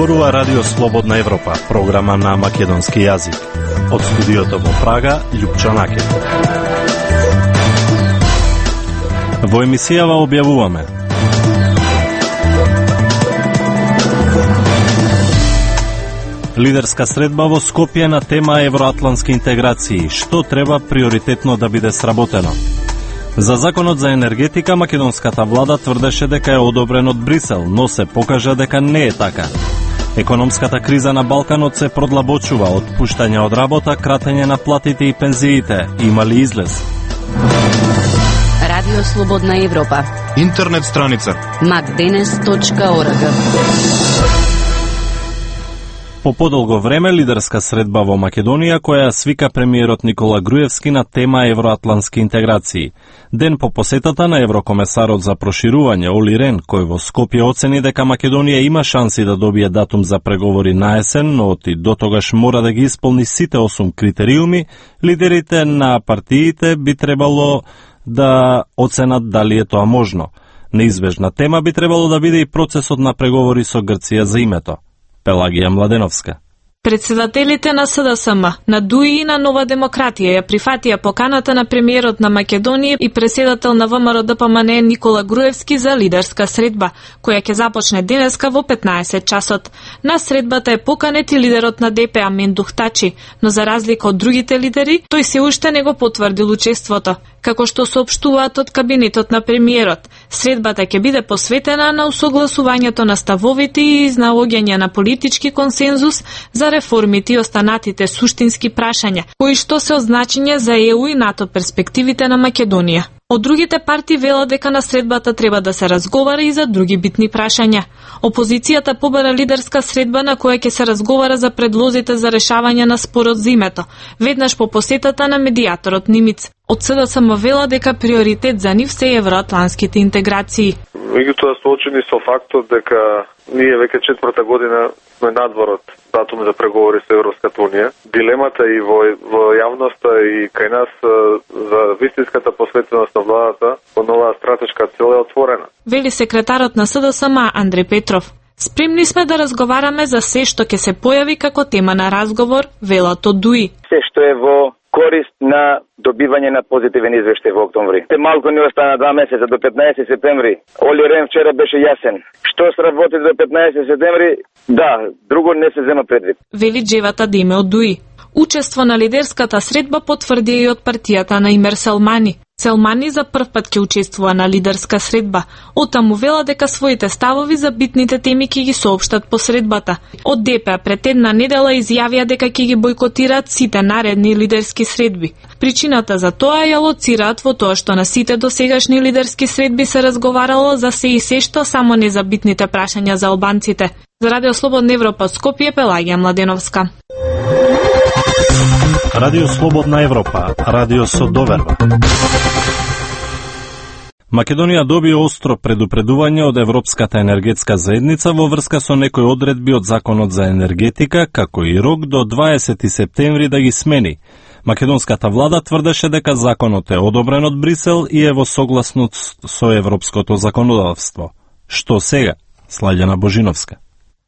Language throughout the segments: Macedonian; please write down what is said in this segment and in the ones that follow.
Зборува Радио Слободна Европа, програма на македонски јазик. Од студиото во Прага, Љупчо Накев. Во емисијава објавуваме: лидерска средба во Скопје на тема евроатлантски интеграции, што треба приоритетно да биде сработено. За законот за енергетика, македонската влада тврдеше дека е одобрен од Брисел, но се покажа дека не е така. Економската криза на Балканот се продлабочува, отпуштање од работа, кратење на платите и пензиите. Има ли излез? Радио Слободна Европа. Интернет страница macdenes.org. По подолго време лидерска средба во Македонија која свика премиерот Никола Груевски на тема евроатлантски интеграции. Ден по посетата на еврокомесарот за проширување Оли Рен, кој во Скопје оцени дека Македонија има шанси да добие датум за преговори на есен, но и дотогаш мора да ги исполни сите 8 критериуми, лидерите на партиите би требало да оценат дали е тоа можно. Неизбежна тема би требало да биде и процесот на преговори со Грција за името. Пелагија Младеновска. Председателите на СДСМ, на ДУИ и на Нова демократија ја прифатија поканата на премиерот на Македонија и преседател на ВМРО-ДПМН Никола Груевски за лидерска средба, која ќе започне денеска во 15 часот. На средбата е поканет и лидерот на ДП Мендух Тачи, но за разлика од другите лидери, тој се уште не го потврдил учеството. Како што соопштуваат од кабинетот на премиерот, средбата ќе биде посветена на усогласувањето на ставовите и изнаоѓање на политички консензус за реформите и останатите суштински прашања, кои што се од значење за ЕУ и НАТО перспективите на Македонија. Од другите партии велат дека на средбата треба да се разговара и за други битни прашања. Опозицијата побара лидерска средба на која ќе се разговара за предлозите за решавање на спорот за името, веднаш по посетата на медијаторот Нимиц. Од СДСМ вела дека приоритет за нив се евроатлантските интеграции. Меѓутоа соочени со фактот дека ние веќе 4-та година сме надвор од датум за преговори со Европската унија. Дилемата и во јавноста и кај нас за вистинската посветеност на владата по новаа стратешка цел е отворена. Вели секретарот на СДСМ Андреј Петров. Спремни сме да разговараме за се што ќе се појави како тема на разговор, велат од ДУИ. Се што е во корист на добивање на позитивен извештај во октомври. Те малку не остана 2 месеца до 15 септември. Оли Рен вчера беше јасен. Што сработи до 15 септември? Да, друго не се зема предвид. Вели Джевата Диме од ДУИ. Учество на лидерската средба потврди и од партијата на Имер Селмани. Селмани за прв пат ќе учествува на лидерска средба. Оттаму вела дека своите ставови за битните теми ќе ги соопштат по средбата. Од ДП пред една недела изјавија дека ќе ги бойкотираат сите наредни лидерски средби. Причината за тоа ја лоцираат во тоа што на сите досегашни лидерски средби се разговарало за се и се што, само не за битните прашања за албанците. За Радио Слободна Европа од Скопје, Пелагија Младеновска. Радио Слободна Европа, радио со доверба. Македонија доби остро предупредување од Европската енергетска заедница во врска со некои одредби од законот за енергетика, како и рок до 20 септември да ги смени. Македонската влада тврдеше дека законот е одобрен од Брисел и е во согласност со европското законодавство. Што сега? Слаѓана Божиновска.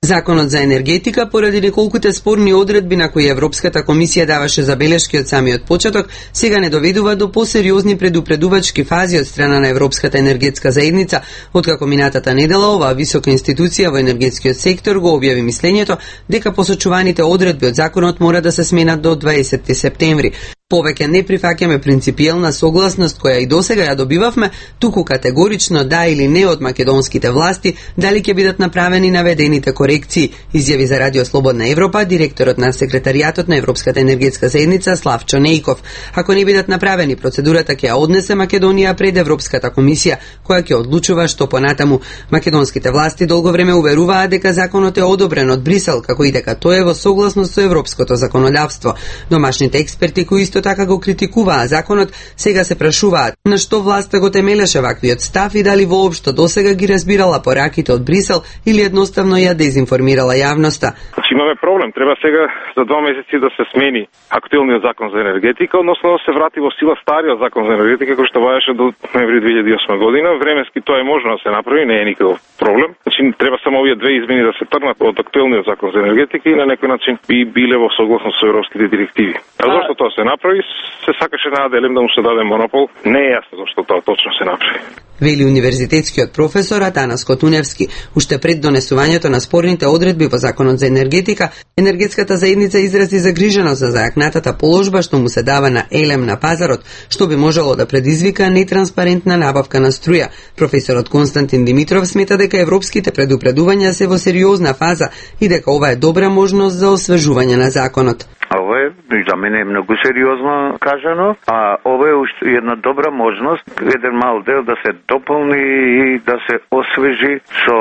Законот за енергетика, поради неколкуте спорни одредби на кои Европската комисија даваше забелешки од самиот почеток, сега не доведува до посериозни предупредувачки фази од страна на Европската енергетска заедница, откако минатата недела оваа висока институција во енергетскиот сектор го објави мислењето дека посочуваните одредби од законот мора да се сменат до 20 септември. Повеќе не прифаќаме принципиелна согласност која и досега ја добивавме, туку категорично да или не од македонските власти дали ќе бидат направени наведените корекции, изјави за Радио Слободна Европа директорот на секретаријатот на Европската енергетска заедница Славчо Нејков. Ако не бидат направени, процедурата ќе ја однесе Македонија пред Европската комисија, која ќе одлучува што понатаму. Македонските власти долго време уверуваа дека законот е одобрен од Брисел, како и дека тој е во согласност со европското законодавство. Домашните експерти кои исто исто така го критикуваа законот, сега се прашуваат на што власта го темелеше ваквиот став и дали воопшто досега ги разбирала пораките од Брисел или едноставно ја дезинформирала јавноста. Имаме проблем, треба сега за 2 месеци да се смени актуелниот закон за енергетика, односно да се врати во сила стариот закон за енергетика кој што vaеше до ноември 2008 година. Временски тоа е можно да се направи, не е никаков проблем. Значи треба само овие две измени да се тргнат од актуелниот закон за енергетика и на некој начин би биле во согласност со европските директиви. А зашто тоа се направи? Се сакаше на Аделем да му се даде монопол. Не е јасно зашто тоа точно се направи. Вели универзитетскиот професор Атанас Котуневски. Уште пред донесувањето на спорните одредби во законот за енергетика, енергетската заедница изрази загриженост за зајакнатата положба што му се дава на Елем на пазарот, што би можело да предизвика нетранспарентна набавка на струја. Професорот Константин Димитров смета дека европските предупредувања се во сериозна фаза и дека ова е добра можност за освежување на законот. Ова е, за мене е многу сериозно кажано, а ова е уште една добра можност, еден мал дел да се дополни и да се освежи со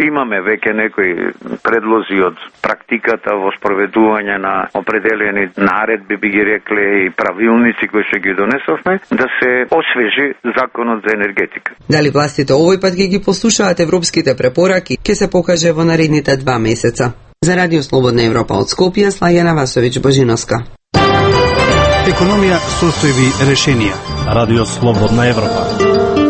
имаме веќе некои предлози од практиката во спроведување на определени наредби, би ги рекле, и правилници кои што ги донесовме, да се освежи законот за енергетика. Дали властите овој пат ги послушаат европските препораки, ќе се покаже во наредните 2 месеца. За Радио Слободна Европа од Скопје, Слајана Васовиќ-Божиновска. Економија, состојби, решенија. Радио Слободна Европа.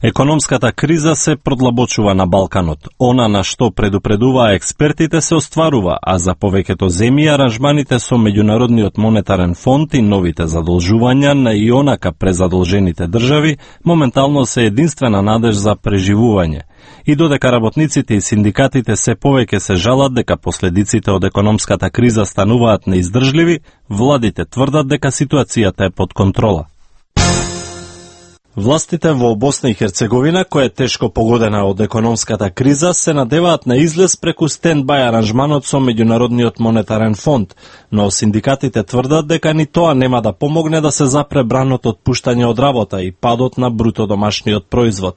Економската криза се продлабочува на Балканот. Она на што предупредуваа експертите се остварува, а за повеќето земји аранжманите со Меѓународниот монетарен фонд и новите задолжувања на и онака презадолжените држави моментално се единствена надеж за преживување. И додека работниците и синдикатите се повеќе се жалат дека последиците од економската криза стануваат неиздржливи, владите тврдат дека ситуацијата е под контрола. Властите во Босна и Херцеговина, која е тешко погодена од економската криза, се надеваат на излез преку стендбај аранжманот со Меѓународниот монетарен фонд, но синдикатите тврдат дека ни тоа нема да помогне да се запре бранот отпуштање од работа и падот на бруто домашниот производ.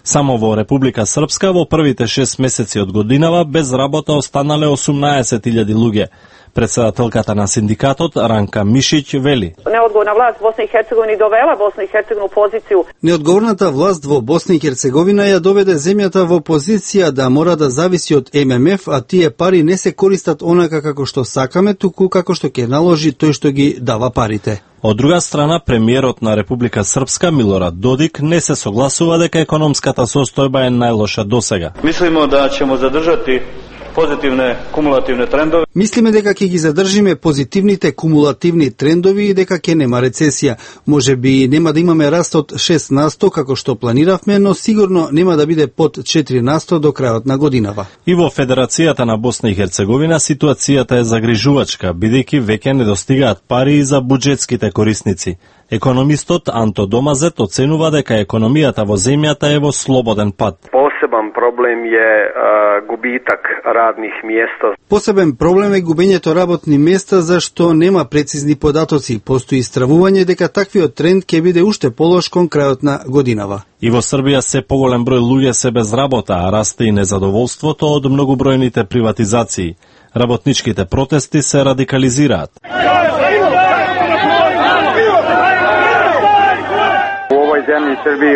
Само во Република Српска во првите 6 месеци од годинава без работа останале 18.000 луѓе. Председателката на синдикатот Ранка Мишиќ вели: Неодговорна власт Босна и Херцеговина довела Босна и Херцеговина у позицију. Неодговорната власт во Босна и Херцеговина ја доведе земјата во позиција да мора да зависи од ММФ, а тие пари не се користат онака како што сакаме, туку како што ќе наложи тој што ги дава парите. Од друга страна, премиерот на Република Српска Милорад Додик не се согласува дека економската состојба е најлоша досега. Мислимо да ćemo задржати позитивне кумулативне трендови. Мислиме дека ќе ги задржиме позитивните кумулативни трендови и дека ќе нема рецесија. Можеби нема да имаме раст од 6% како што планиравме, но сигурно нема да биде под 4% до крајот на годинава. И во Федерацијата на Босна и Херцеговина ситуацијата е загрижувачка, бидејќи веќе недостигаат пари за буџетските корисници. Економистот Анто Домазет оценува дека економијата во земјата е во слободен пат. Посебен проблем е губитак радних места. Посебен проблем е губењето работни места, зашто нема прецизни податоци. Постои стравување дека таквиот тренд ќе биде уште полош кон крајот на годинава. И во Србија се поголем број луѓе се без работа, а расте и незадоволството од многобројните приватизации. Работничките протести се радикализираат.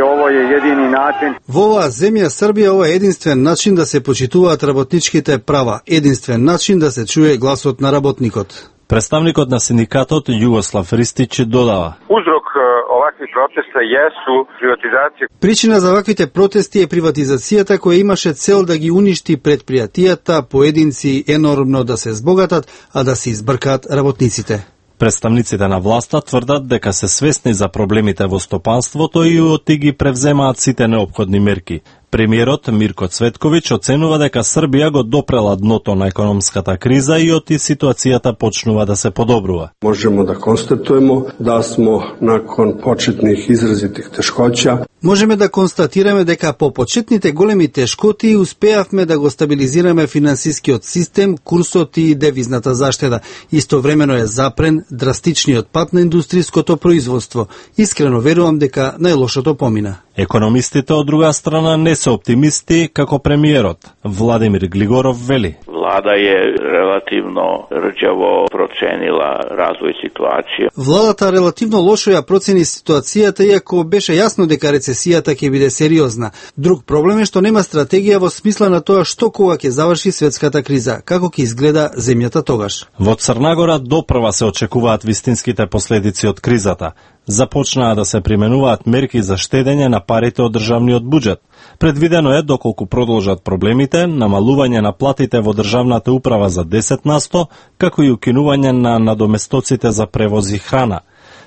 Ово е едини начин. Во оваа земја Србија ова е единствен начин да се почитуваат работничките права, единствен начин да се чуе гласот на работникот. Представникот на синдикатот Југослав Ристич додава: Узрок овакви протеста јесу приватизација. Причина за ваквите протести е приватизацијата која имаше цел да ги уништи предпријатијата, поединци енормно да се збогатат, а да се избркаат работниците. Представниците на власта тврдат дека се свесни за проблемите во стопанството и оти ги превземаат сите неопходни мерки. Премиерот Мирко Цветковиќ оценува дека Србија го допрела дното на економската криза и оти ситуацијата почнува да се подобрува. Можемо да констатуемо да смо након почетних изразитих тешкоќа Можеме да констатираме дека по почетните големи тешкоти успеавме да го стабилизираме финансискиот систем, курсот и девизната заштеда. Истовремено е запрен драстичниот пат на индустријското производство. Искрено верувам дека најлошото помина. Економистите од друга страна не се оптимисти како премиерот. Владимир Глигоров вели: Влада е релативно рđavo проценила развој ситуација. Владата релативно лошо ја процени ситуацијата, иако беше јасно дека рецесијата ќе биде сериозна. Друг проблем е што нема стратегија во смисла на тоа што кога ќе заврши светската криза, како ќе изгледа земјата тогаш. Во Црнагора допрва се очекуваат вистинските последици од кризата. Започнаа да се применуваат мерки за штедење на парите од државниот буџет. Предвидено е, доколку продолжат проблемите, намалување на платите во државната управа за 10%, како и укинување на надоместоците за превоз и храна.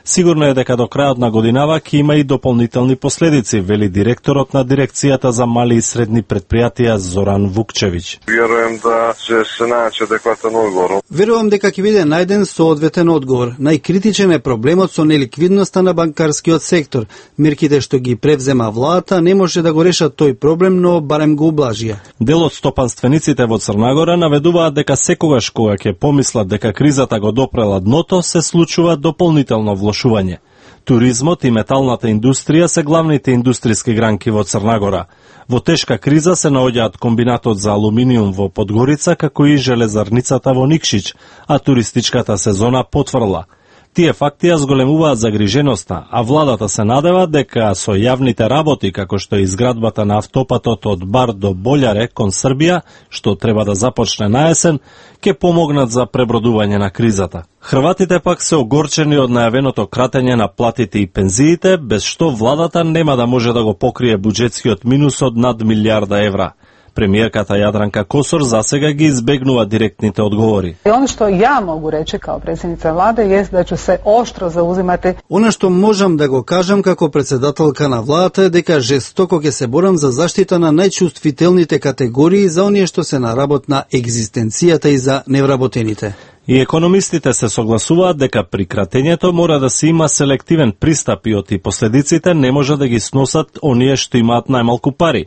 Сигурно е дека до крајот на годинава ќе има и дополнителни последици, вели директорот на дирекцијата за мали и средни предпријатија Зоран Вукчевиќ. Верувам да ќе се најде адекватен одговор. Верувам дека ќе биде најден соодветен одговор. Најкритичен е проблемот со неликвидноста на банкарскиот сектор. Мерките што ги превзема владата не може да го решат тој проблем, но барем го ублажија. Дел од стопанствениците во Црнагора наведуваат дека секогаш кога ќе помислат дека кризата го допрела дното, се случува дополнително влошување. Туризмот и металната индустрија се главните индустријски гранки во Црнагора. Во тешка криза се наоѓаат комбинатот за алуминиум во Подгорица, како и железарницата во Никшиќ, а туристичката сезона потврла. Тие факти ја зголемуваат загриженоста, а владата се надева дека со јавните работи, како што е изградбата на автопатот од Бар до Болјаре кон Србија, што треба да започне на есен, ќе помогнат за пребродување на кризата. Хрватите пак се огорчени од најавеното кратење на платите и пензиите, без што владата нема да може да го покрие буџетскиот минус од над милијарда евра. Премиерката Јадранка Косор засега ги избегнува директните одговори. И оно што ја могу речи као председница владе е да ќе се оштро заузимати. Она што можам да го кажам како председателка на владата е дека жестоко ќе се борам за заштита на најчувствителните категории, за оние што се на работ на екзистенцијата и за невработените. И економистите се согласуваат дека при кратењето мора да се има селективен пристап и оти последиците не може да ги сносат оние што имаат најмалку пари.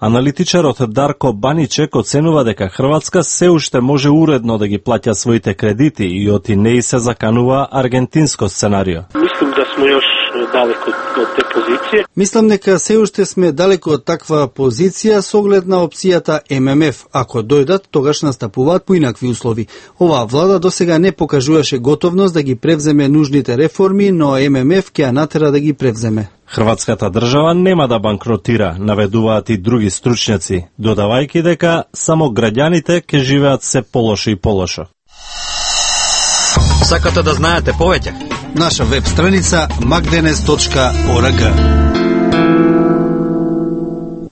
Аналитичарот Дарко Баничек оценува дека Хрватска се уште може уредно да ги плаќа своите кредити и оти не се заканува аргентинско сценарио. Мислам да сме још далеко од те позиција. Мислам дека се уште сме далеко од таква позиција со оглед на опцијата ММФ. Ако дојдат, тогаш настапуваат поинакви услови. Оваа влада досега не покажуваше готовност да ги превземе нужните реформи, но ММФ ќе ја натера да ги превземе. Хрватската држава нема да банкротира, наведуваат и други стручњаци, додавајќи дека само граѓаните ќе живеат се полошо и полошо. Сакате да знаете повеќе? Наша веб страница magdenes.org.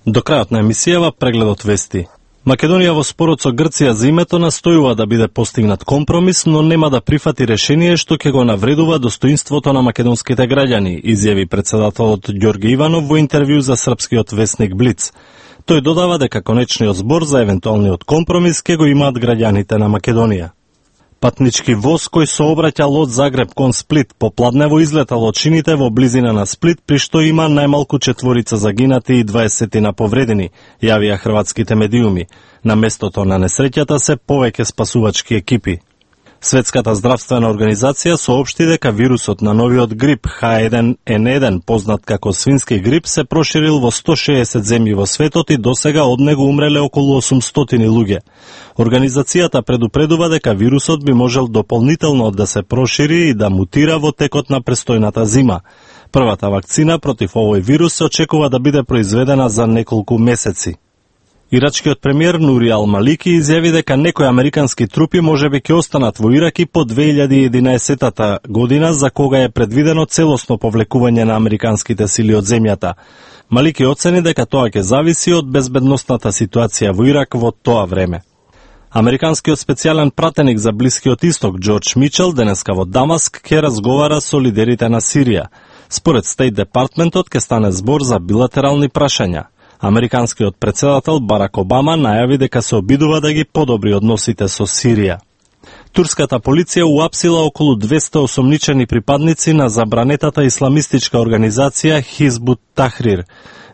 До крајот на емисијава прегледот вести. Македонија во спорот со Грција за името настојува да биде постигнат компромис, но нема да прифати решение што ќе го навредува достоинството на македонските граѓани, изјави председателот Ѓорги Иванов во интервју за српскиот весник Блиц. Тој додава дека конечниот збор за евентуалниот компромис ќе го имаат граѓаните на Македонија. Патнички воз кој сообраќал од Загреб кон Сплит попладнево излетал од шините во близина на Сплит, при што има најмалку 4 загинати и 20 повредени, јавија хрватските медиуми. На местото на несреќата се повеќе спасувачки екипи. Светската здравствена организација соопшти дека вирусот на новиот грип H1N1, познат како свински грип, се проширил во 160 земји во светот и досега од него умреле околу 800 луѓе. Организацијата предупредува дека вирусот би можел дополнително да се прошири и да мутира во текот на престојната зима. Првата вакцина против овој вирус се очекува да биде произведена за неколку месеци. Ирачкиот премиер Нури Ал-Малики изјави дека некои американски трупи можеби ќе останат во Ирак и по 2011 година, за кога е предвидено целосно повлекување на американските сили од земјата. Малики оцени дека тоа ќе зависи од безбедносната ситуација во Ирак во тоа време. Американскиот специјален пратеник за Блискиот Исток Џорџ Мичел денеска во Дамаск ќе разговара со лидерите на Сирија. Според Стейт Департментот ќе стане збор за билатерални прашања. Американскиот председател Барак Обама најави дека се обидува да ги подобри односите со Сирија. Турската полиција уапсила околу 200 осомничени припадници на забранетата исламистичка организација Хизбут Тахрир.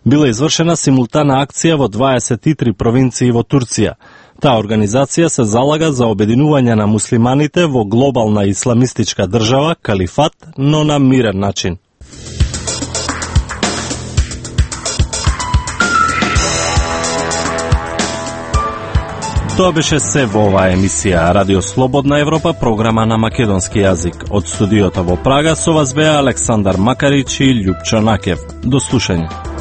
Била извршена симултана акција во 23 провинции во Турција. Таа организација се залага за обединување на муслиманите во глобална исламистичка држава, калифат, но на мирен начин. Тоа беше се во оваа емисија Радио Слободна Европа, програма на македонски јазик. Од студиото во Прага со вас беа Александар Макарич и Љупчо Накев. До слушање.